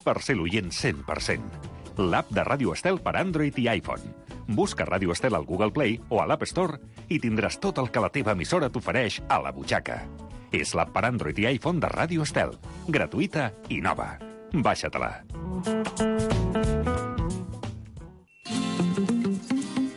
per ser l'oient 100%. L'app de Ràdio Estel per Android i iPhone. Busca Ràdio Estel al Google Play o a l'App Store i tindràs tot el que la teva emissora t'ofereix a la butxaca. És l'app per Android i iPhone de Ràdio Estel. Gratuïta i nova. Baixa-te-la.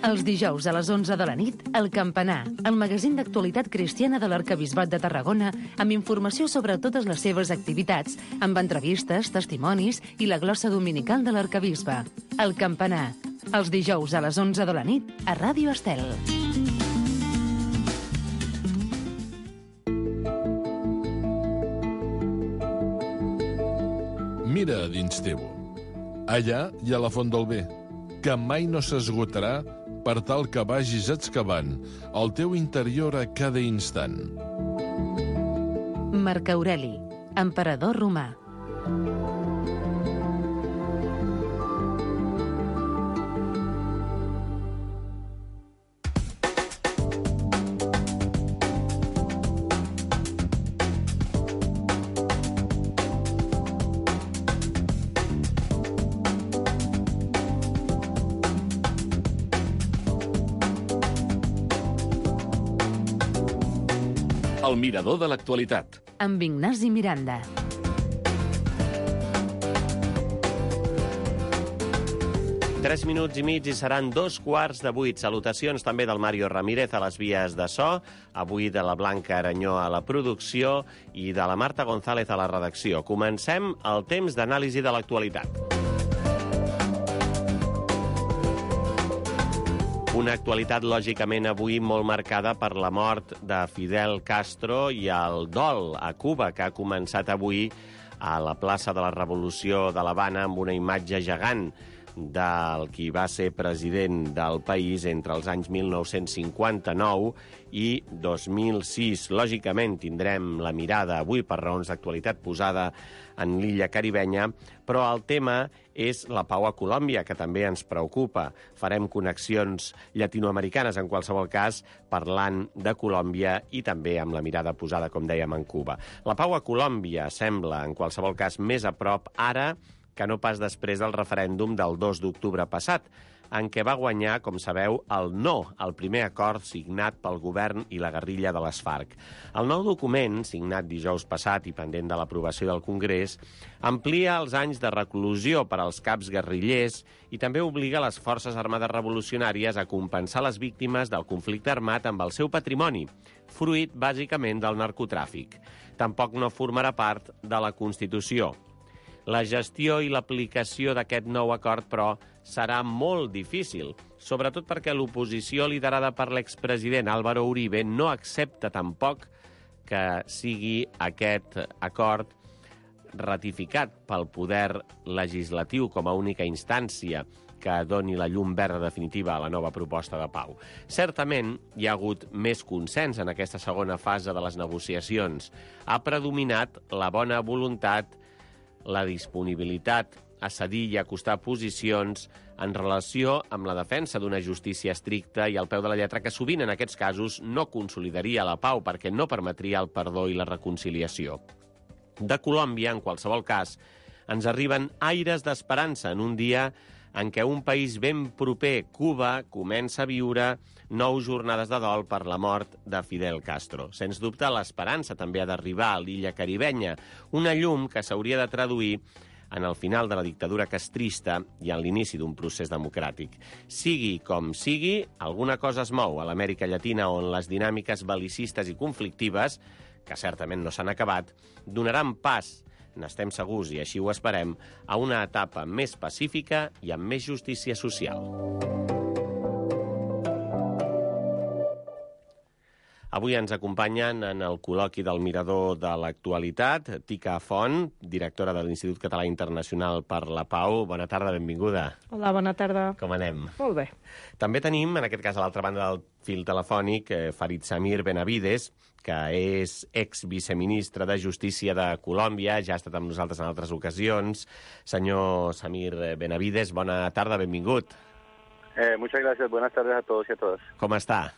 Els dijous a les 11 de la nit, El Campanar, el magazín d'actualitat cristiana de l'Arquebisbat de Tarragona, amb informació sobre totes les seves activitats, amb entrevistes, testimonis i la glossa dominical de l'Arquebisbe. El Campanar, els dijous a les 11 de la nit, a Ràdio Estel. Mira a dins teu. Allà hi ha la font del bé, que mai no s'esgotarà per tal que vagis excavant el teu interior a cada instant. Marc Aureli, emperador romà. El mirador de l'actualitat. Amb Ignasi Miranda. Tres minuts i mig i seran 2:15. Salutacions també del Mario Ramírez a les vies de so, avui de la Blanca Aranyó a la producció i de la Marta González a la redacció. Comencem el temps d'anàlisi de l'actualitat. Una actualitat, lògicament, avui molt marcada per la mort de Fidel Castro i el dol a Cuba, que ha començat avui a la plaça de la Revolució de l'Havana amb una imatge gegant del qui va ser president del país entre els anys 1959 i 2006. Lògicament, tindrem la mirada avui per raons d'actualitat posada en l'illa caribenya, però el tema és la pau a Colòmbia, que també ens preocupa. Farem connexions llatinoamericanes, en qualsevol cas, parlant de Colòmbia i també amb la mirada posada, com dèiem, en Cuba. La pau a Colòmbia sembla, en qualsevol cas, més a prop ara que no pas després del referèndum del 2 d'octubre passat, en què va guanyar, com sabeu, el no al primer acord signat pel govern i la guerrilla de les FARC. El nou document, signat dijous passat i pendent de l'aprovació del Congrés, amplia els anys de reclusió per als caps guerrillers i també obliga les Forces Armades Revolucionàries a compensar les víctimes del conflicte armat amb el seu patrimoni, fruit, bàsicament, del narcotràfic. Tampoc no formarà part de la Constitució. La gestió i l'aplicació d'aquest nou acord, però, serà molt difícil, sobretot perquè l'oposició liderada per l'expresident Álvaro Uribe no accepta tampoc que sigui aquest acord ratificat pel poder legislatiu com a única instància que doni la llum verda definitiva a la nova proposta de pau. Certament, hi ha hagut més consens en aquesta segona fase de les negociacions. Ha predominat la bona voluntat, la disponibilitat a cedir i acostar posicions en relació amb la defensa d'una justícia estricta i al peu de la lletra, que sovint en aquests casos no consolidaria la pau perquè no permetria el perdó i la reconciliació. De Colòmbia, en qualsevol cas, ens arriben aires d'esperança en un dia en què un país ben proper, Cuba, comença a viure 9 jornades de dol per la mort de Fidel Castro. Sens dubte, l'esperança també ha d'arribar a l'illa caribenya, una llum que s'hauria de traduir en el final de la dictadura castrista i en l'inici d'un procés democràtic. Sigui com sigui, alguna cosa es mou a l'Amèrica Llatina, on les dinàmiques bel·licistes i conflictives, que certament no s'han acabat, donaran pas, n'estem segurs i així ho esperem, a una etapa més pacífica i amb més justícia social. Avui ens acompanyen en el col·loqui del Mirador de l'Actualitat Tica Font, directora de l'Institut Català Internacional per la Pau. Bona tarda, benvinguda. Hola, bona tarda. Com anem? Molt bé. També tenim, en aquest cas, a l'altra banda del fil telefònic, Farid Samir Benavides, que és ex-viceministre de Justícia de Colòmbia, ja ha estat amb nosaltres en altres ocasions. Senyor Samir Benavides, bona tarda, benvingut. Muchas gracias, buenas tardes a todos y a todas. Com està?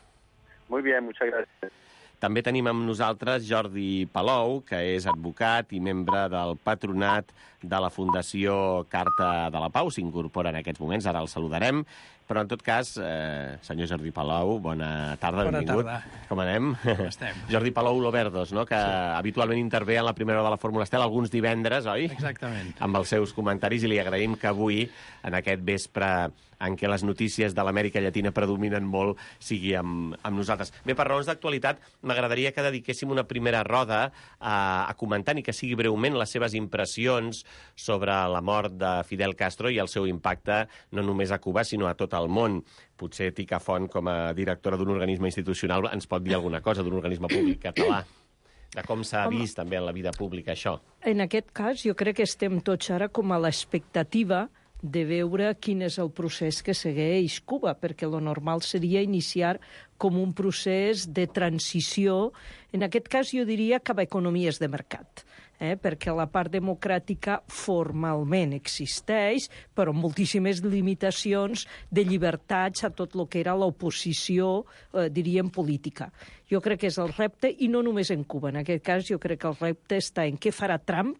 Muy bien, muchas gracias. També tenim amb nosaltres Jordi Palou, que és advocat i membre del patronat de la Fundació Carta de la Pau. S'incorpora en aquests moments, ara el saludarem. Però, en tot cas, senyor Jordi Palou, bona tarda, benvingut. Bona tarda. Com anem? Com estem? Jordi Palou Loverdos, no? Que habitualment intervé en la primera hora de la Fórmula Estel alguns divendres, oi? Exactament. Amb els seus comentaris, i li agraïm que avui, en aquest vespre en què les notícies de l'Amèrica Llatina predominen molt, sigui amb nosaltres. Bé, per raons d'actualitat, m'agradaria que dediquéssim una primera roda a comentar, i que sigui breument, les seves impressions sobre la mort de Fidel Castro i el seu impacte no només a Cuba, sinó a tot el món. Potser Tica Font, com a directora d'un organisme institucional, ens pot dir alguna cosa d'un organisme públic català, de com s'ha vist també en la vida pública això. En aquest cas, jo crec que estem tots ara com a l'expectativa de veure quin és el procés que segueix Cuba, perquè lo normal seria iniciar com un procés de transició, en aquest cas jo diria cap a economies de mercat, perquè la part democràtica formalment existeix, però amb moltíssimes limitacions de llibertats a tot el que era l'oposició, diríem, política. Jo crec que és el repte, i no només en Cuba. En aquest cas jo crec que el repte està en què farà Trump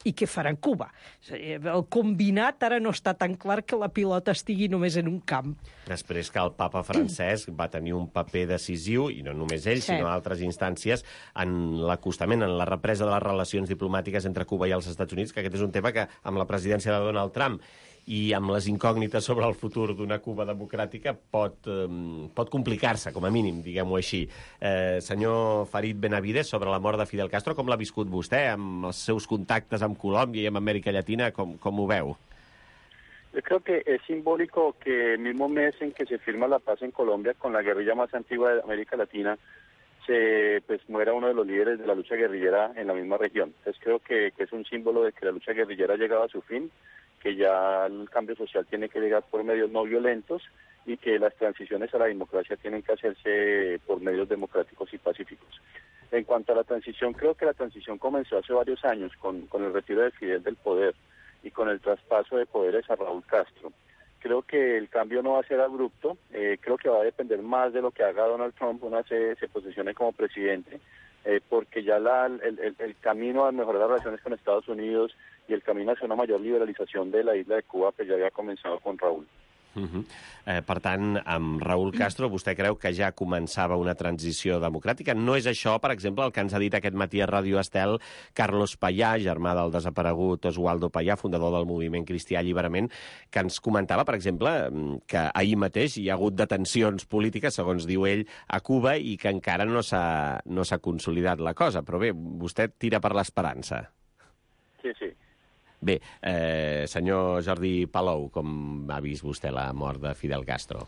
i què farà Cuba. El combinat ara no està tan clar que la pilota estigui només en un camp. Després que el papa Francesc va tenir un paper decisiu, i no només ell, sinó altres instàncies, en l'acostament, en la represa de les relacions diplomàtiques entre Cuba i els Estats Units, que aquest és un tema que, amb la presidència de Donald Trump i amb les incògnites sobre el futur d'una Cuba democràtica, pot complicar-se, com a mínim, diguem-ho així. Senyor Farid Benavides, sobre la mort de Fidel Castro, com l'ha viscut vostè, amb els seus contactes amb Colòmbia i amb Amèrica Llatina, com ho veu? Yo creo que es simbólico que el mismo mes en que se firma la paz en Colombia con la guerrilla más antigua de América Latina, se muera uno de los líderes de la lucha guerrillera en la misma región. Entonces creo que es un símbolo de que la lucha guerrillera ha llegado a su fin, que ya el cambio social tiene que llegar por medios no violentos y que las transiciones a la democracia tienen que hacerse por medios democráticos y pacíficos. En cuanto a la transición, creo que la transición comenzó hace varios años con el retiro de Fidel del poder y con el traspaso de poderes a Raúl Castro. Creo que el cambio no va a ser abrupto, creo que va a depender más de lo que haga Donald Trump una vez se posicione como presidente, porque ya el camino a mejorar las relaciones con Estados Unidos y el camino hacia una mayor liberalización de la isla de Cuba pues ya había comenzado con Raúl. Per tant, amb Raúl Castro, vostè creu que ja començava una transició democràtica? No és això, per exemple, el que ens ha dit aquest matí a Ràdio Estel Carlos Payá, germà del desaparegut Oswaldo Payá, fundador del moviment Cristià Alliberament, que ens comentava, per exemple, que ahir mateix hi ha hagut detencions polítiques, segons diu ell, a Cuba, i que encara no s'ha consolidat la cosa. Però bé, vostè tira per l'esperança. Sí, sí. Bé, senyor Jordi Palou, com ha vist vostè la mort de Fidel Castro?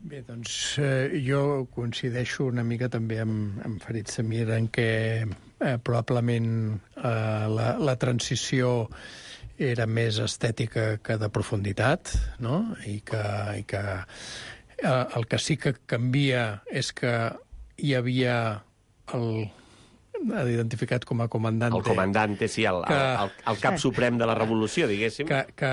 Bé, doncs jo coincideixo una mica també amb Farid Samir en què probablement la transició era més estètica que de profunditat, no? I que el que sí que canvia és que hi havia identificat com a comandante. El comandante, sí, el cap suprem de la revolució, diguéssim. Que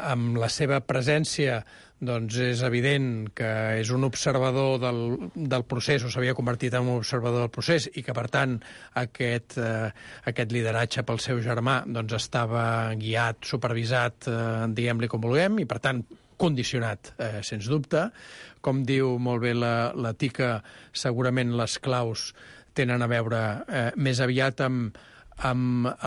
amb la seva presència doncs és evident que és un observador del procés, o s'havia convertit en un observador del procés, i que, per tant, aquest lideratge pel seu germà doncs estava guiat, supervisat, diguem-li com vulguem, i, per tant, condicionat, sens dubte. Com diu molt bé la Tica, segurament les claus tenen a veure més aviat amb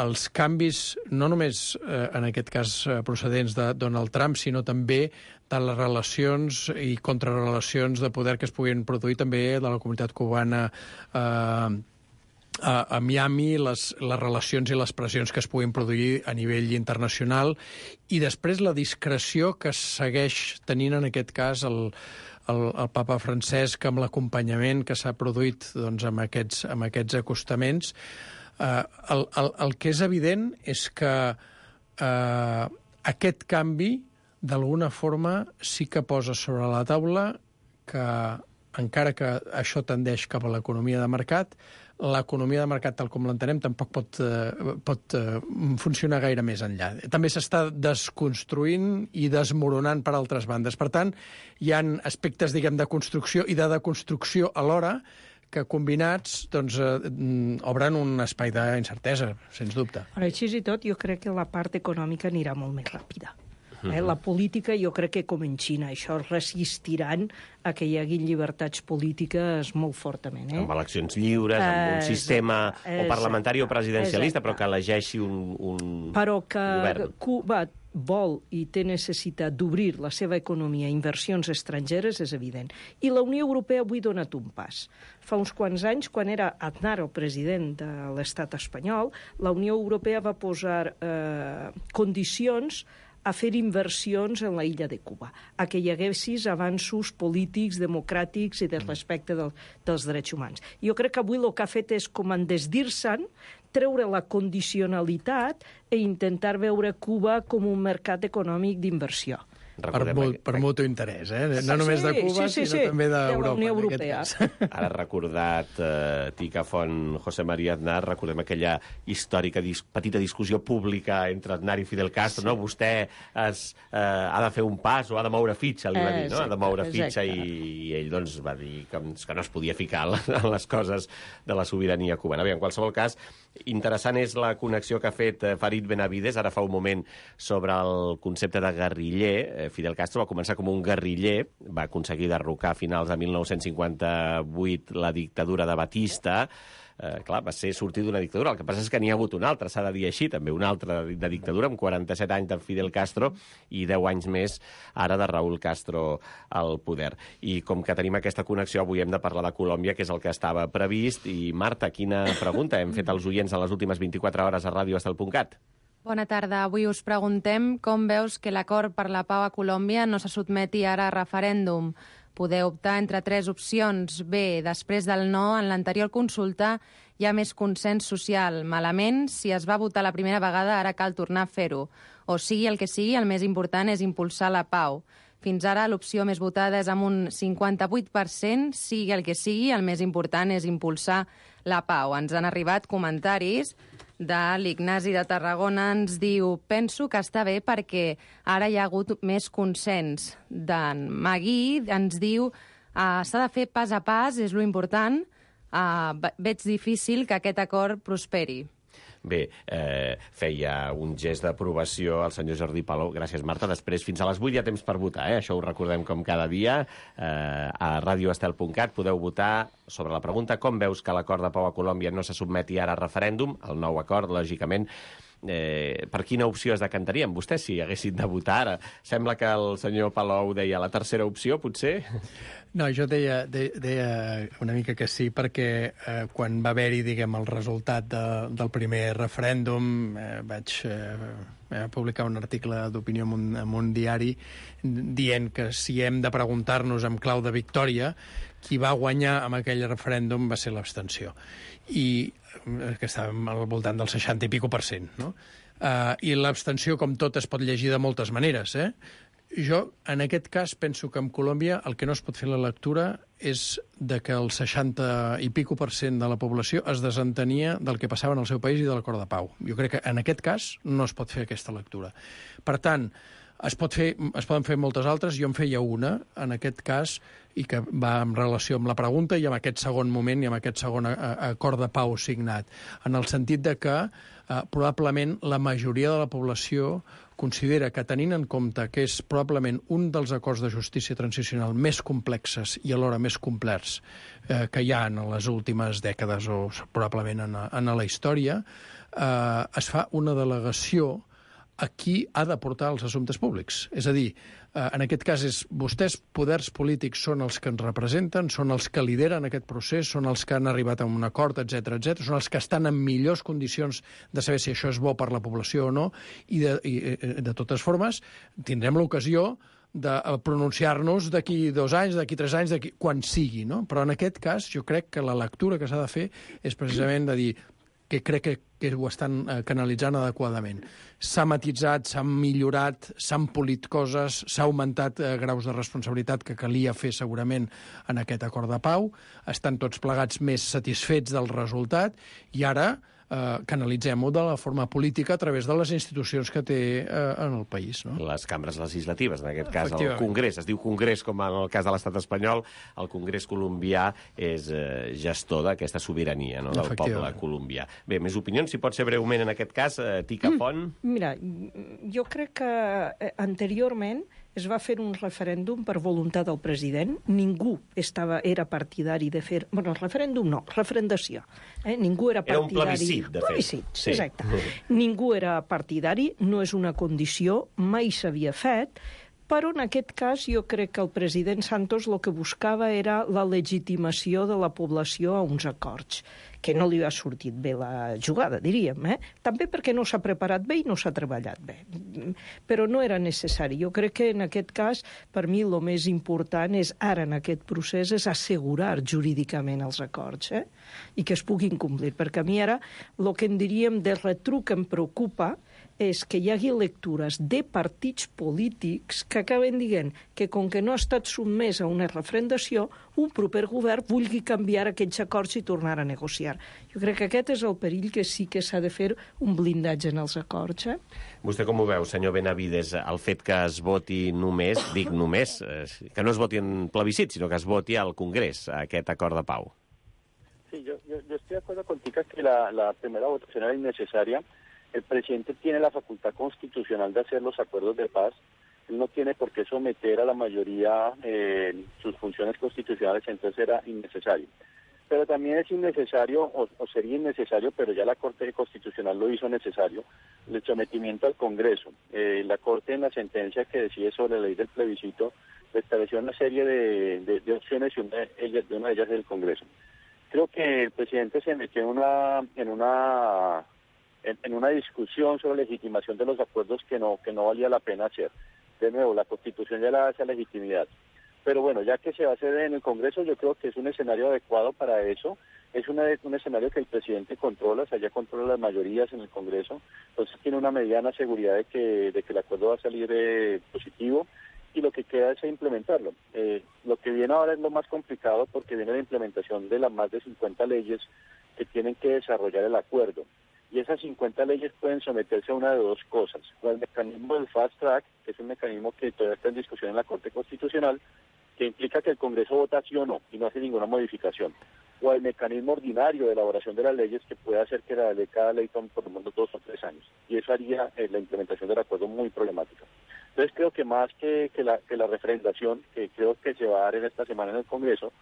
els canvis, no només en aquest cas procedents de Donald Trump, sinó també de les relacions i contrarrelacions de poder que es puguin produir també de la comunitat cubana a Miami, les relacions i les pressions que es puguin produir a nivell internacional, i després la discreció que segueix tenint en aquest cas el papa Francesc amb l'acompanyament que s'ha produït doncs, amb aquests acostaments. El que és evident és que aquest canvi d'alguna forma sí que posa sobre la taula que, encara que això tendeix cap a l'economia de mercat, l'economia de mercat, tal com l'entenem, tampoc pot funcionar gaire més enllà. També s'està desconstruint i desmoronant per altres bandes. Per tant, hi ha aspectes, diguem, de construcció i de deconstrucció alhora que combinats doncs, obren un espai d'incertesa, sens dubte. Així i tot, jo crec que la part econòmica anirà molt més ràpida. La política, jo crec que com en Xina, això resistiran a que hi hagi llibertats polítiques molt fortament. Amb eleccions lliures, amb un sistema o parlamentari o presidencialista, però que elegeixi un però que govern. Cuba vol i té necessitat d'obrir la seva economia a inversions estrangeres és evident. I la Unió Europea avui ha donat un pas. Fa uns quants anys, quan era Aznar el president de l'estat espanyol, la Unió Europea va posar condicions a fer inversions en la illa de Cuba, a que hi haguessis avanços polítics, democràtics i de respecte dels drets humans. Jo crec que avui el que ha fet és com en desdir-se'n, treure la condicionalitat i intentar veure Cuba com un mercat econòmic d'inversió. Per mutu interès, no només de Cuba, sinó també d'Europa. De la Unió Europea. Ara recordat Ticafont, José María Aznar, recordem aquella històrica petita discussió pública entre Aznar i Fidel Castro, no? Vostè ha de fer un pas o ha de moure fitxa, li va dir, no? Ha de moure fitxa i ell doncs va dir que no es podia ficar en les coses de la sobirania cubana. Bé, en qualsevol cas, interessant és la connexió que ha fet Farid Benavides ara fa un moment sobre el concepte de guerriller. Fidel Castro va començar com un guerriller, va aconseguir derrocar a finals de 1958 la dictadura de Batista. Clar, va ser sortir d'una dictadura. El que passa és que n'hi ha hagut una altra, s'ha de dir així, també una altra de dictadura, amb 47 anys de Fidel Castro i 10 anys més ara de Raúl Castro al poder. I com que tenim aquesta connexió, avui hem de parlar de Colòmbia, que és el que estava previst. I Marta, quina pregunta hem fet als oients en les últimes 24 hores a radioestel.cat? Bona tarda. Avui us preguntem com veus que l'acord per la pau a Colòmbia no se sotmeti ara a referèndum. Podeu optar entre 3 opcions. B, després del no, en l'anterior consulta hi ha més consens social. Malament, si es va votar la primera vegada, ara cal tornar a fer-ho. O sigui el que sigui, el més important és impulsar la pau. Fins ara l'opció més votada és amb un 58%, sigui el que sigui, el més important és impulsar la pau. Ens han arribat comentaris de l'Ignasi de Tarragona, ens diu: penso que està bé perquè ara hi ha hagut més consens. D'en Magui ens diu: s'ha de fer pas a pas, és lo important, veig difícil que aquest acord prosperi. Bé, feia un gest d'aprovació al senyor Jordi Palou. Gràcies, Marta. Després, fins a les 8 hi ha temps per votar, Això ho recordem com cada dia. A radioestel.cat podeu votar sobre la pregunta: com veus que l'acord de pau a Colòmbia no se sotmeti ara a referèndum? El nou acord, lògicament, per quina opció es decantarien vostès si haguessin de votar ara? Sembla que el senyor Palou deia la tercera opció, potser? No, jo deia una mica que sí, perquè quan va haver-hi, diguem, el resultat del primer referèndum, vaig publicar un article d'opinió en un diari dient que si hem de preguntar-nos amb clau de victòria, qui va guanyar amb aquell referèndum va ser l'abstenció. I que estàvem al voltant del 60 i pico %, no? I l'abstenció, com tot, es pot llegir de moltes maneres, Jo, en aquest cas, penso que en Colòmbia el que no es pot fer la lectura és de que el 60 i pico % de la població es desentenia del que passava en el seu país i de l'acord de pau. Jo crec que en aquest cas no es pot fer aquesta lectura. Per tant, es poden fer moltes altres, jo en feia una, en aquest cas, i que va en relació amb la pregunta i amb aquest segon moment i amb aquest segon acord de pau signat, en el sentit de que probablement la majoria de la població considera que, tenint en compte que és probablement un dels acords de justícia transicional més complexes i alhora més complets que hi ha en les últimes dècades o probablement en la història, es fa una delegació a qui ha de portar els assumptes públics. És a dir, en aquest cas, vostès, poders polítics, són els que ens representen, són els que lideren aquest procés, són els que han arribat a un acord, etc, són els que estan en millors condicions de saber si això és bo per la població o no, i de totes formes tindrem l'ocasió de pronunciar-nos d'aquí 2 anys, d'aquí 3 anys, quan sigui, no? Però en aquest cas jo crec que la lectura que s'ha de fer és precisament de dir que crec que ho estan canalitzant adequadament. S'ha matitzat, s'han millorat, s'han polit coses, s'ha augmentat graus de responsabilitat que calia fer segurament en aquest acord de pau, estan tots plegats més satisfets del resultat i ara canalitzem-ho de la forma política a través de les institucions que té en el país. No? Les cambres legislatives, en aquest cas el Congrés. Es diu Congrés, com en el cas de l'estat espanyol. El Congrés colombià és gestor d'aquesta sobirania, no?, del poble colombià. Bé, més opinions, si pot ser breument en aquest cas. Tica Font. Mira, jo crec que anteriorment es va fer un referèndum per voluntat del president. Ningú era partidari de fer... Bueno, el referèndum no, referendació. Ningú era partidari... Era un plebiscit, de fet. Plebiscit, sí. Exacte. Ningú era partidari, no és una condició, mai s'havia fet, però en aquest cas jo crec que el president Santos el que buscava era la legitimació de la població a uns acords, que no li ha sortit bé la jugada, diríem. També perquè no s'ha preparat bé i no s'ha treballat bé. Però no era necessari. Jo crec que en aquest cas, per mi, el més important és, ara en aquest procés, és assegurar jurídicament els acords i que es puguin complir. Perquè a mi ara el que en diríem de retruc em preocupa és que hi hagi lectures de partits polítics que acaben dient que, com que no ha estat sotmès a una referendació, un proper govern vulgui canviar aquells acords i tornar a negociar. Jo crec que aquest és el perill, que sí que s'ha de fer un blindatge en els acords. Vostè com ho veu, senyor Benavides, el fet que es voti només, dic només, que no es voti en plebiscit, sinó que es voti al Congrés, aquest acord de pau? Sí, yo estoy de acuerdo contigo que la primera votación era innecesaria. El presidente tiene la facultad constitucional de hacer los acuerdos de paz. Él no tiene por qué someter a la mayoría sus funciones constitucionales, entonces era innecesario. Pero también es innecesario, o sería innecesario, pero ya la Corte Constitucional lo hizo necesario, el sometimiento al Congreso. La Corte, en la sentencia que decide sobre la ley del plebiscito, estableció una serie de opciones y una de ellas es el Congreso. Creo que el presidente se metió en una discusión sobre legitimación de los acuerdos que no valía la pena hacer. De nuevo, la Constitución ya le da esa legitimidad. Pero bueno, ya que se va a hacer en el Congreso, yo creo que es un escenario adecuado para eso. Es un escenario que el presidente controla, o sea, ya controla las mayorías en el Congreso. Entonces tiene una mediana seguridad de que el acuerdo va a salir positivo, y lo que queda es implementarlo. Lo que viene ahora es lo más complicado, porque viene la implementación de las más de 50 leyes que tienen que desarrollar el acuerdo. Y esas 50 leyes pueden someterse a una de dos cosas: o al mecanismo del fast track, que es un mecanismo que todavía está en discusión en la Corte Constitucional, que implica que el Congreso vota sí o no y no hace ninguna modificación, o al mecanismo ordinario de elaboración de las leyes, que puede hacer que cada ley tome por lo menos 2 o 3 años. Y eso haría la implementación del acuerdo muy problemática. Entonces creo que más que la referendación, que creo que se va a dar en esta semana en el Congreso,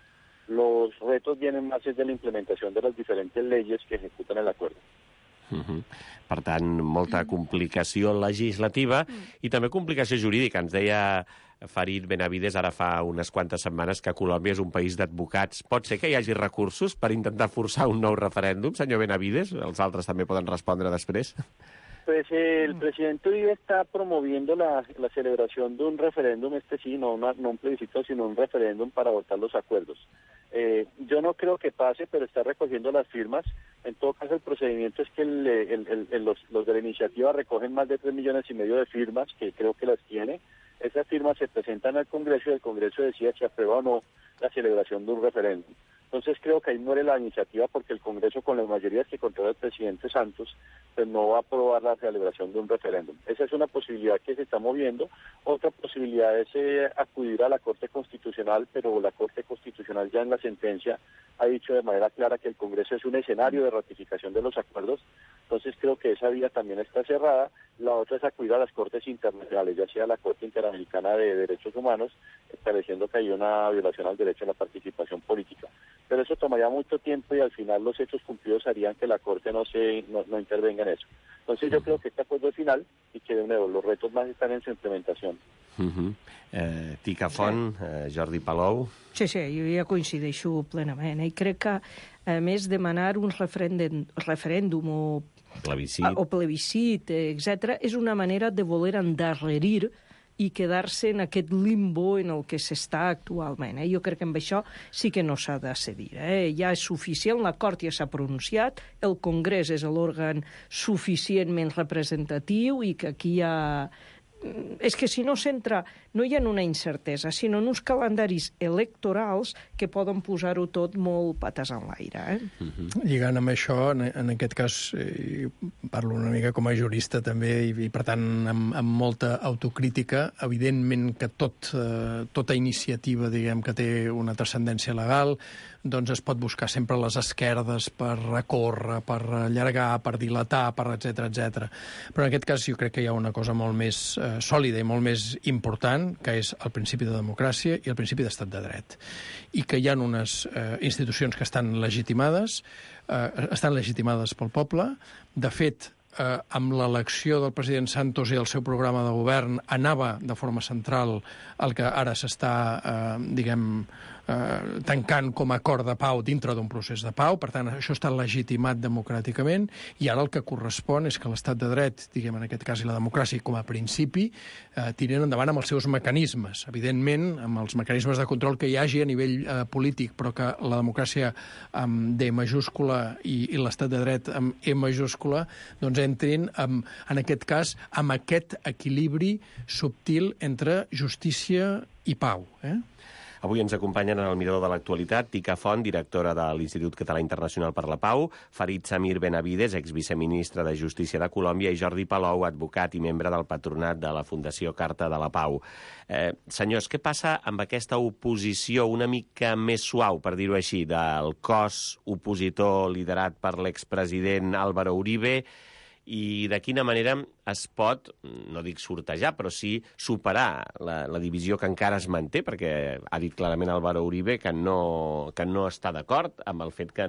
los retos vienen más de la implementación de las diferentes leyes que ejecutan el acuerdo. Per tant, molta complicació legislativa i també complicació jurídica. Ens deia Farid Benavides ara fa unes quantes setmanes que Colòmbia és un país d'advocats. Pot ser que hi hagi recursos per intentar forçar un nou referèndum, senyor Benavides? Els altres també poden respondre després. Pues el presidente Uribe está promoviendo la celebración de un referéndum, sí, no un plebiscito, sino un referéndum para votar los acuerdos. Yo no creo que pase, pero está recogiendo las firmas. En todo caso, el procedimiento es que los de la iniciativa recogen más de 3,5 millones de firmas, que creo que las tiene. Esas firmas se presentan al Congreso y el Congreso decide si aprueba o no la celebración de un referéndum. Entonces creo que ahí muere la iniciativa, porque el Congreso, con las mayorías que controla el presidente Santos, pues no va a aprobar la celebración de un referéndum. Esa es una posibilidad que se está moviendo. Otra posibilidad es acudir a la Corte Constitucional, pero la Corte Constitucional ya en la sentencia ha dicho de manera clara que el Congreso es un escenario de ratificación de los acuerdos. Entonces creo que esa vía también está cerrada. La otra es acudir a las Cortes internacionales, ya sea la Corte Interamericana de Derechos Humanos, estableciendo que hay una violación al derecho a la participación política. Pero eso tomaría mucho tiempo y al final los hechos cumplidos harían que la Corte no intervenga en eso. Entonces yo creo que este acuerdo es final y que de nuevo los retos más están en su implementación. Tica Font, Jordi Palou. Sí, jo ja coincideixo plenament. I crec que, a més, demanar un referèndum o plebiscit, etc., és una manera de voler endarrerir i quedar-se en aquest limbo en el que s'està actualment. Jo crec que amb això sí que no s'ha de cedir. Ja és suficient, l'acord ja s'ha pronunciat, el Congrés és l'òrgan suficientment representatiu i que aquí hi ha és que si no s'entra, no hi ha una incertesa, sinó en uns calendaris electorals que poden posar-ho tot molt pates en l'aire. Lligant amb això, en aquest cas, parlo una mica com a jurista també, i per tant amb molta autocrítica, evidentment que tota iniciativa, diguem, que té una transcendència legal, doncs es pot buscar sempre les esquerdes per recórrer, per allargar, per dilatar, per etc. Però en aquest cas jo crec que hi ha una cosa molt més sòlida i molt més important, que és el principi de democràcia i el principi d'estat de dret. I que hi ha unes institucions que estan legitimades pel poble. De fet, amb l'elecció del president Santos i el seu programa de govern anava de forma central el que ara s'està, tancant com a acord de pau dintre d'un procés de pau. Per tant, això està legitimat democràticament, i ara el que correspon és que l'estat de dret, diguem en aquest cas, i la democràcia com a principi, tiren endavant amb els seus mecanismes. Evidentment, amb els mecanismes de control que hi hagi a nivell polític, però que la democràcia amb D majúscula i l'estat de dret amb E majúscula doncs entrin, en aquest cas, amb aquest equilibri subtil entre justícia i pau. Avui ens acompanyen en el Mirador de l'Actualitat Tika Font, directora de l'Institut Català Internacional per la Pau, Farid Samir Benavides, exviceministre de Justícia de Colòmbia, i Jordi Palou, advocat i membre del patronat de la Fundació Carta de la Pau. Senyors, què passa amb aquesta oposició una mica més suau, per dir-ho així, del cos opositor liderat per l'expresident Álvaro Uribe, i de quina manera es pot, no dic sortejar, però sí superar la divisió que encara es manté, perquè ha dit clarament Álvaro Uribe que no està d'acord amb el fet que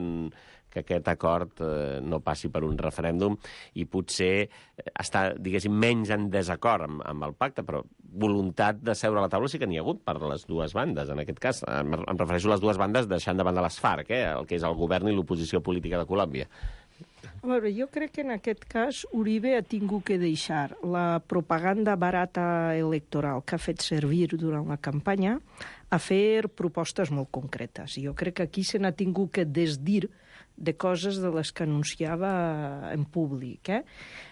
aquest acord no passi per un referèndum, i potser està, diguéssim, menys en desacord amb el pacte, però voluntat de seure a la taula sí que n'hi ha hagut per les dues bandes. En aquest cas, em refereixo a les dues bandes deixant de banda les FARC, el que és el govern i l'oposició política de Colòmbia. A veure, jo crec que en aquest cas Uribe ha tingut que deixar la propaganda barata electoral que ha fet servir durant la campanya a fer propostes molt concretes. Jo crec que aquí se n'ha tingut que desdir de coses de les que anunciava en públic.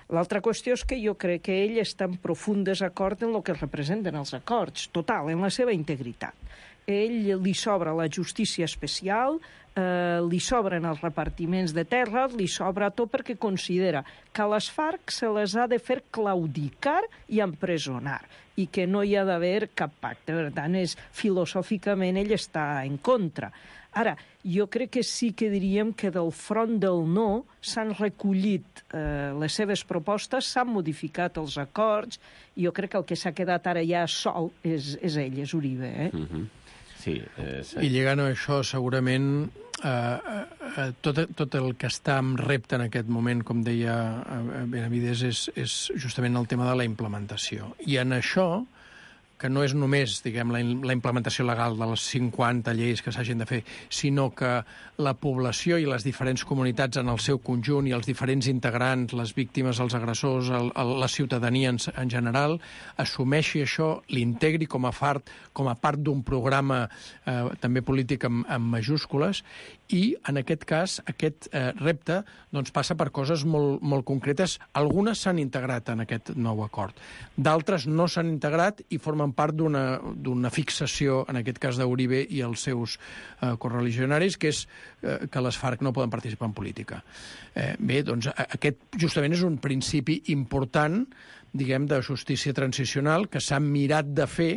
L'altra qüestió és que jo crec que ell està en profund desacord en el que representen els acords, total, en la seva integritat. Ell li sobra la justícia especial, li sobren els repartiments de terres, li sobra tot, perquè considera que a les FARC se les ha de fer claudicar i empresonar, i que no hi ha d'haver cap pacte. Per tant, filosòficament ell està en contra. Ara, jo crec que sí que diríem que del front del no s'han recollit les seves propostes, s'han modificat els acords, i jo crec que el que s'ha quedat ara ja sol és ell, és Uribe. Sí, I lligant a això, segurament, tot el que està en repte en aquest moment, com deia Benavides, és justament el tema de la implementació. I en això, que no és només, diguem, la implementació legal de les 50 lleis que s'hagin de fer, sinó que la població i les diferents comunitats en el seu conjunt i els diferents integrants, les víctimes, els agressors, la ciutadania en general, assumeixi això, l'integri com a part d'un programa també polític amb majúscules, i en aquest cas aquest repte doncs, passa per coses molt, molt concretes. Algunes s'han integrat en aquest nou acord, d'altres no s'han integrat i formen part d'una fixació, en aquest cas d'Uribe i els seus correligionaris, que és que les FARC no poden participar en política. Bé, doncs aquest justament és un principi important, diguem, de justícia transicional que s'ha mirat de fer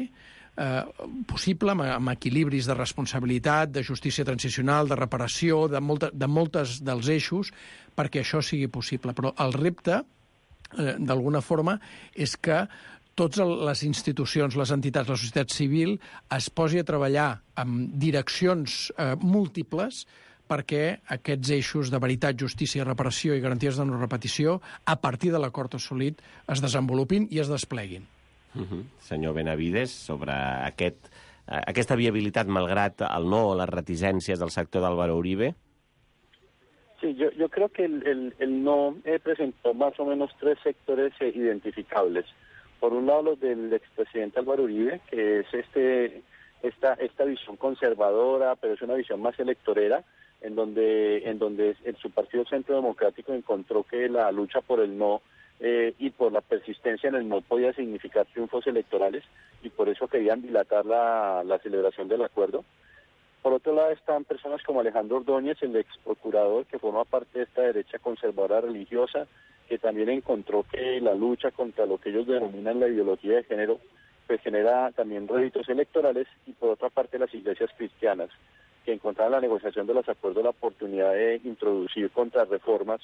possible, amb equilibris de responsabilitat, de justícia transicional, de reparació, de moltes dels eixos, perquè això sigui possible. Però el repte, d'alguna forma, és que totes les institucions, les entitats, la societat civil es posi a treballar amb direccions múltiples perquè aquests eixos de veritat, justícia, reparació i garanties de no repetició, a partir de l'acord assolit, es desenvolupin i es despleguin. Senyor Benavides, sobre aquesta viabilitat malgrat el no o las reticències del sector d'Álvaro Uribe. Sí, yo creo que el no presentó más o menos tres sectores identificables. Por un lado, los del expresidente Álvaro Uribe, que es esta visión conservadora, pero es una visión más electorera, en donde su partido Centro Democrático encontró que la lucha por el no y por la persistencia en el no podía significar triunfos electorales, y por eso querían dilatar la celebración del acuerdo. Por otro lado están personas como Alejandro Ordóñez, el ex procurador, que forma parte de esta derecha conservadora religiosa, que también encontró que la lucha contra lo que ellos denominan la ideología de género pues genera también réditos electorales, y por otra parte las iglesias cristianas, que encontraron en la negociación de los acuerdos la oportunidad de introducir contrarreformas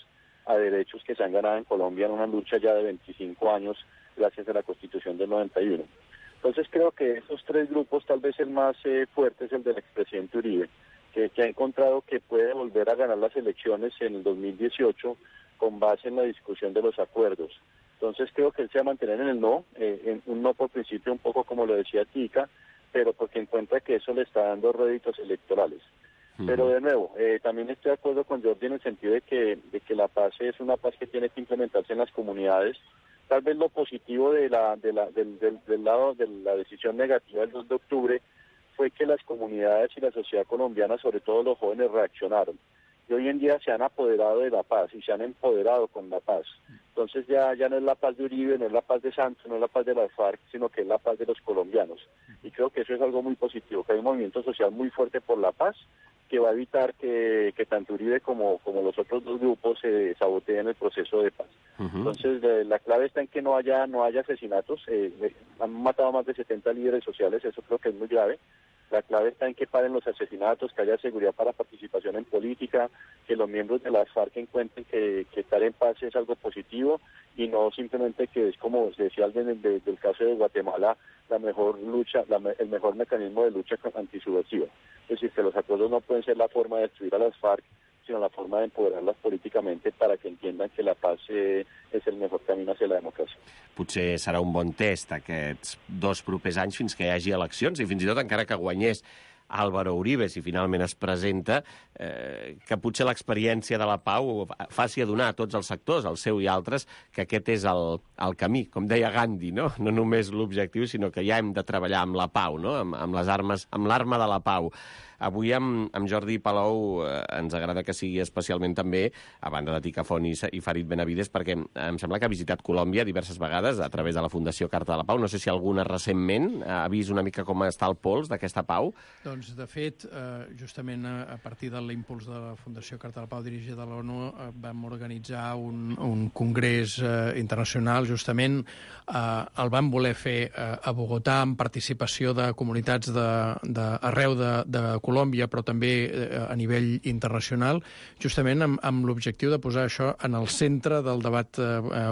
a derechos que se han ganado en Colombia en una lucha ya de 25 años gracias a la Constitución del 91. Entonces creo que esos tres grupos, tal vez el más fuerte es el del expresidente Uribe, que ha encontrado que puede volver a ganar las elecciones en el 2018 con base en la discusión de los acuerdos. Entonces creo que él se va a mantener en el no, en un no por principio, un poco como lo decía Tica, pero porque encuentra que eso le está dando réditos electorales. Pero de nuevo, también estoy de acuerdo con Jordi en el sentido de que la paz es una paz que tiene que implementarse en las comunidades. Tal vez lo positivo del lado de la decisión negativa del 2 de octubre fue que las comunidades y la sociedad colombiana, sobre todo los jóvenes, reaccionaron. Y hoy en día se han apoderado de la paz y se han empoderado con la paz. Entonces ya no es la paz de Uribe, no es la paz de Santos, no es la paz de las FARC, sino que es la paz de los colombianos. Y creo que eso es algo muy positivo, que hay un movimiento social muy fuerte por la paz, que va a evitar que tanto Uribe como los otros dos grupos se saboteen el proceso de paz. Entonces la clave está en que no haya asesinatos. Han matado a más de 70 líderes sociales, eso creo que es muy grave. La clave está en que paren los asesinatos, que haya seguridad para participación en política, que los miembros de las FARC encuentren que estar en paz es algo positivo, y no simplemente que es, como se decía del caso de Guatemala, la mejor lucha, el mejor mecanismo de lucha antisubversiva. Es decir, que los acuerdos no pueden ser la forma de destruir a las FARC, sino la forma de empoderarlas políticamente para que entiendan que la paz es el mejor camino hacia la democràcia. Potser serà un bon test aquests 2 propers anys fins que hi hagi eleccions, i fins i tot encara que guanyés Álvaro Uribe, si finalment es presenta, que potser l'experiència de la pau faci adonar a tots els sectors, el seu i altres, que aquest és el camí. Com deia Gandhi, no? No només l'objectiu, sinó que ja hem de treballar amb la pau, no? Amb les armes, amb l'arma de la pau. Avui amb Jordi Palou ens agrada que sigui especialment també, a banda de Tica Font i Farid Benavides, perquè em sembla que ha visitat Colòmbia diverses vegades a través de la Fundació Carta de la Pau. No sé si alguna recentment ha vist una mica com està el pols d'aquesta pau. Doncs, de fet, justament a partir de l'impuls de la Fundació Carta de la Pau dirigida de l'ONU, vam organitzar un congrés internacional, justament el vam voler fer a Bogotà amb participació de comunitats arreu de Colòmbia, però també a nivell internacional, justament amb l'objectiu de posar això en el centre del debat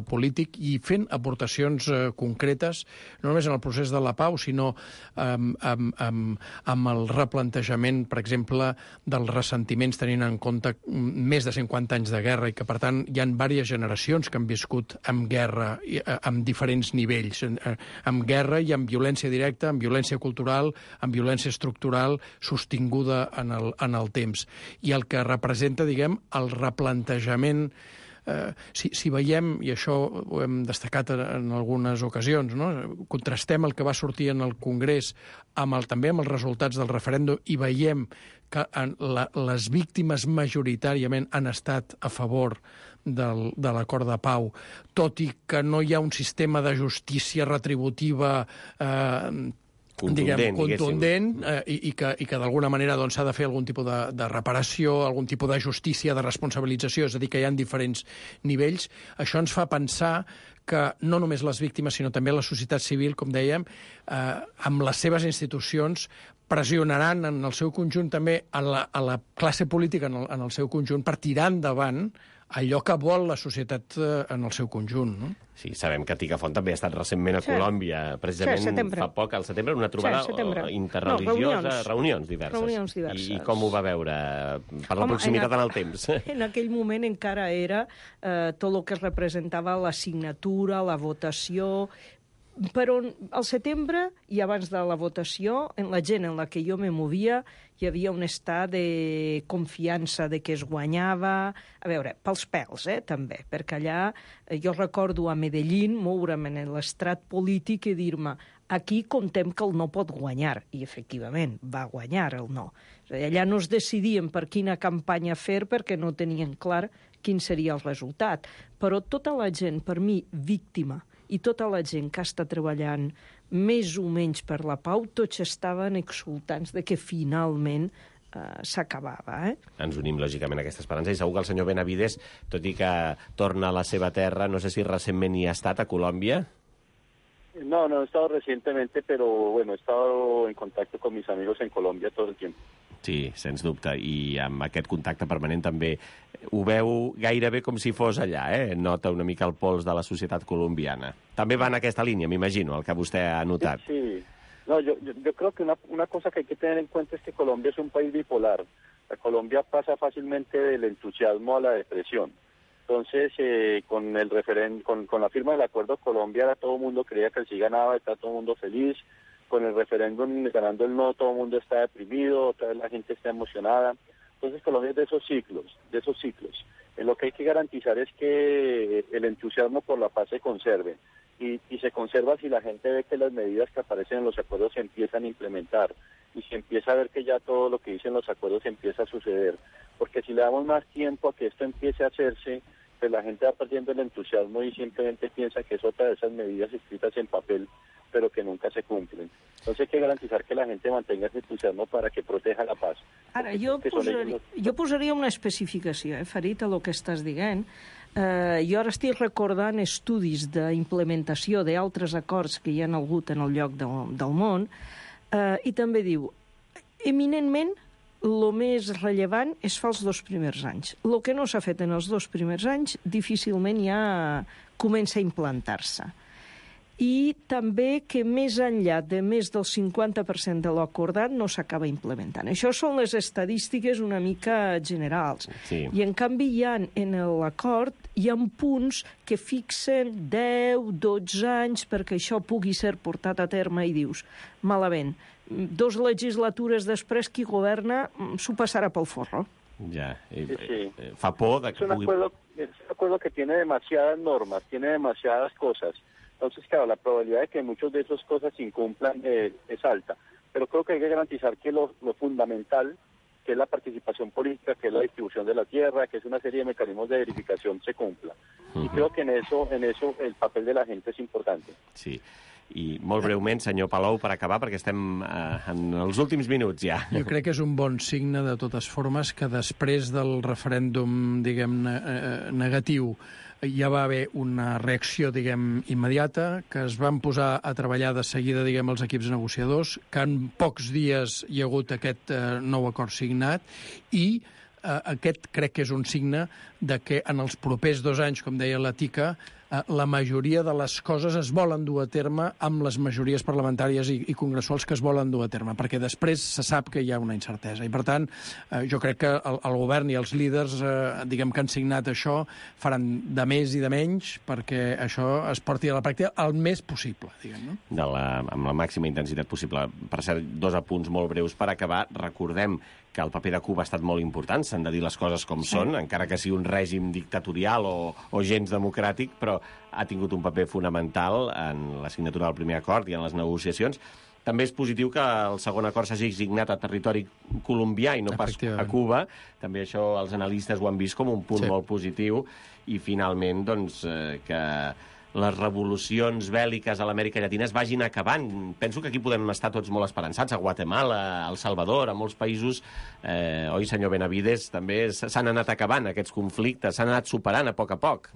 polític i fent aportacions concretes, no només en el procés de la pau, sinó amb el replantejament, per exemple, dels ressentiments, tenint en compte més de 50 anys de guerra, i que, per tant, hi ha diverses generacions que han viscut amb guerra, amb diferents nivells, amb guerra i amb violència directa, amb violència cultural, amb violència estructural, sostinguda en el temps. I el que representa, diguem, el replantejament, si veiem, i això ho hem destacat en algunes ocasions, no? Contrastem el que va sortir en el Congrés també amb els resultats del referèndum, i veiem que les víctimes majoritàriament han estat a favor de l'acord de pau, tot i que no hi ha un sistema de justícia retributiva contundent, i que d'alguna manera s'ha de fer algun tipus de reparació, algun tipus de justícia, de responsabilització, és a dir, que hi ha diferents nivells. Això ens fa pensar que no només les víctimes, sinó també la societat civil, com dèiem, amb les seves institucions, pressionaran en el seu conjunt també a la classe política en el seu conjunt per tirar endavant allò que vol la societat en el seu conjunt, no? Sí, sabem que Tica Font també ha estat recentment a Colòmbia, precisament fa poc, al setembre, una trobada interreligiosa, reunions diverses. I com ho va veure per la proximitat en el temps? En aquell moment encara era tot el que representava la signatura, la votació, però al setembre i abans de la votació, en la gent en la que jo me movia, hi havia un estat de confiança de que es guanyava, a veure, pels pèls, també, perquè allà jo recordo a Medellín moure'm en l'estrat polític i dir-me aquí contem que el no pot guanyar, i efectivament va guanyar el no. Allà no es decidien per quina campanya fer perquè no tenien clar quin seria el resultat. Però tota la gent, per mi, víctima, i tota la gent que està treballant més o menys per la pau, tots estaven exultants de que finalment s'acabava. Ens unim, lògicament, a aquesta esperança. I segur que el senyor Benavides, tot i que torna a la seva terra, no sé si recentment hi ha estat, a Colòmbia. No he estado recientemente, pero bueno, he estado en contacto con mis amigos en Colombia todo el tiempo. Sí, sens dubte, i amb aquest contacte permanent també ho veu gairebé com si fos allà, Nota una mica el pols de la societat colombiana. També va en aquesta línia, m'imagino, el que vostè ha notat. Sí. No, yo creo que una cosa que hay que tener en cuenta es que Colombia es un país bipolar. La Colombia pasa fácilmente del entusiasmo a la depresión. Entonces, con la firma del acuerdo Colombia, todo el mundo creía que el sí ganaba, está todo el mundo feliz. Con el referéndum ganando el no, todo el mundo está deprimido, otra vez la gente está emocionada. Entonces, Colombia es de esos ciclos. Lo que hay que garantizar es que el entusiasmo por la paz se conserve. Y se conserva si la gente ve que las medidas que aparecen en los acuerdos se empiezan a implementar y se empieza a ver que ya todo lo que dicen los acuerdos empieza a suceder. Porque si le damos más tiempo a que esto empiece a hacerse, pues la gente va perdiendo el entusiasmo y simplemente piensa que es otra de esas medidas escritas en papel, pero que nunca se cumplen. Entonces hay que garantizar que la gente mantenga ese entusiasmo para que proteja la paz. Ara, jo posaria una especificació, Farid, a lo que estàs dient. Jo ara estic recordant estudis d'implementació d'altres acords que hi ha hagut en el lloc del món, i també diu, eminentment, el més rellevant es fa els 2 primers anys. El que no s'ha fet en els 2 primers anys difícilment ja comença a implantar-se. I també que més enllà de més del 50% de l'acordat no s'acaba implementant. Això són les estadístiques una mica generals. Sí. I en canvi en l'acord hi ha punts que fixen 10, 12 anys perquè això pugui ser portat a terme i dius, malament, 2 legislatures després qui governa s'ho passarà pel forro. Ja, Sí. fa por de que Es un acuerdo que tiene demasiadas normas, tiene demasiadas cosas. Entonces, claro, la probabilidad de que muchas de esas cosas se incumplan es alta. Pero creo que hay que garantizar que lo fundamental, que es la participación política, que es la distribución de la tierra, que es una serie de mecanismos de verificación, se cumpla. Y creo que en eso el papel de la gente es importante. Sí. I molt breument, senyor Palou, per acabar, perquè estem en els últims minuts ja. Jo crec que és un bon signe, de totes formes, que després del referèndum, diguem-ne, negatiu, ja va haver una reacció, diguem, immediata, que es van posar a treballar de seguida, diguem, els equips negociadors, que en pocs dies hi ha hagut aquest nou acord signat, i aquest crec que és un signe de que en els propers 2 anys, com deia la Tica, la majoria de les coses es volen dur a terme amb les majories parlamentàries i congressuals que es volen dur a terme, perquè després se sap que hi ha una incertesa. I, per tant, jo crec que el govern i els líders, diguem, que han signat això, faran de més i de menys perquè això es porti a la pràctica el més possible, diguem, no? Amb la màxima intensitat possible. Per cert, 2 apunts molt breus per acabar. Recordem que el paper de Cuba ha estat molt important, s'han de dir les coses com són, encara que sigui un règim dictatorial o gens democràtic, però ha tingut un paper fonamental en la signatura del primer acord i en les negociacions. També és positiu que el segon acord s'hagi signat a territori colombià i no pas a Cuba. També això els analistes ho han vist com un punt molt positiu. I finalment, doncs, que les revolucions bèl·liques a l'Amèrica Llatina es vagin acabant. Penso que aquí podem estar tots molt esperançats, a Guatemala, a El Salvador, a molts països, oi, senyor Benavides, també s'han anat acabant aquests conflictes, s'han anat superant a poc.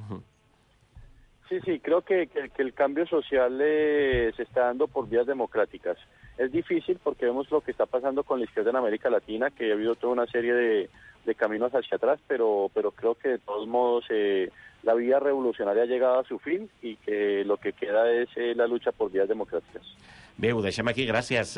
Sí, creo que el cambio social se está dando por vías democráticas. Es difícil porque vemos lo que está pasando con la izquierda en América Latina, que ha habido toda una serie de caminos hacia atrás, pero creo que de todos modos la vía revolucionaria ha llegado a su fin y que lo que queda es la lucha por vías democráticas. Bé, ho deixem aquí. Gràcies,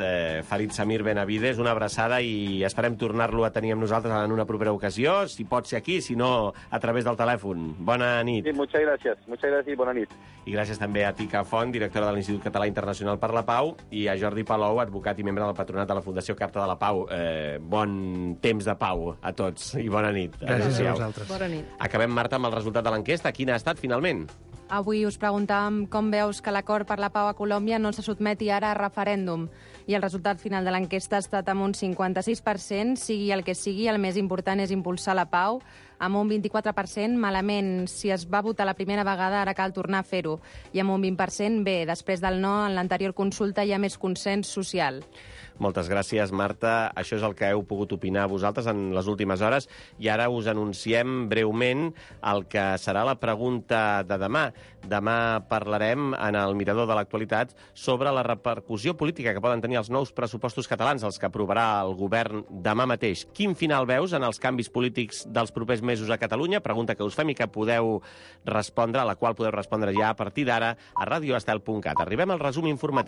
Farid Samir Benavides. Una abraçada i esperem tornar-lo a tenir amb nosaltres en una propera ocasió. Si pot ser aquí, si no, a través del telèfon. Bona nit. Sí, muchas gracias y bona nit. I gràcies també a Tica Font, directora de l'Institut Català Internacional per la Pau, i a Jordi Palou, advocat i membre del patronat de la Fundació Carta de la Pau. Bon temps de pau a tots i bona nit. Gràcies a vosaltres. Bona nit. Acabem, Marta, amb el resultat de l'enquesta. Quin ha estat, finalment? Avui us preguntàvem com veus que l'acord per la pau a Colòmbia no se sotmeti ara a referèndum. I el resultat final de l'enquesta ha estat amb un 56%. Sigui el que sigui, el més important és impulsar la pau. amb un 24% malament. Si es va votar la primera vegada, ara cal tornar a fer-ho. I amb un 20% bé. Després del no, en l'anterior consulta hi ha més consens social. Moltes gràcies, Marta. Això és el que heu pogut opinar vosaltres en les últimes hores i ara us anunciem breument el que serà la pregunta de demà. Demà parlarem en el Mirador de l'Actualitat sobre la repercussió política que poden tenir els nous pressupostos catalans, els que aprovarà el govern demà mateix. Quin final veus en els canvis polítics dels propers mesos a Catalunya? Pregunta que us fem i que podeu respondre, a la qual podeu respondre ja a partir d'ara a radioestel.cat. Arribem al resum informatiu.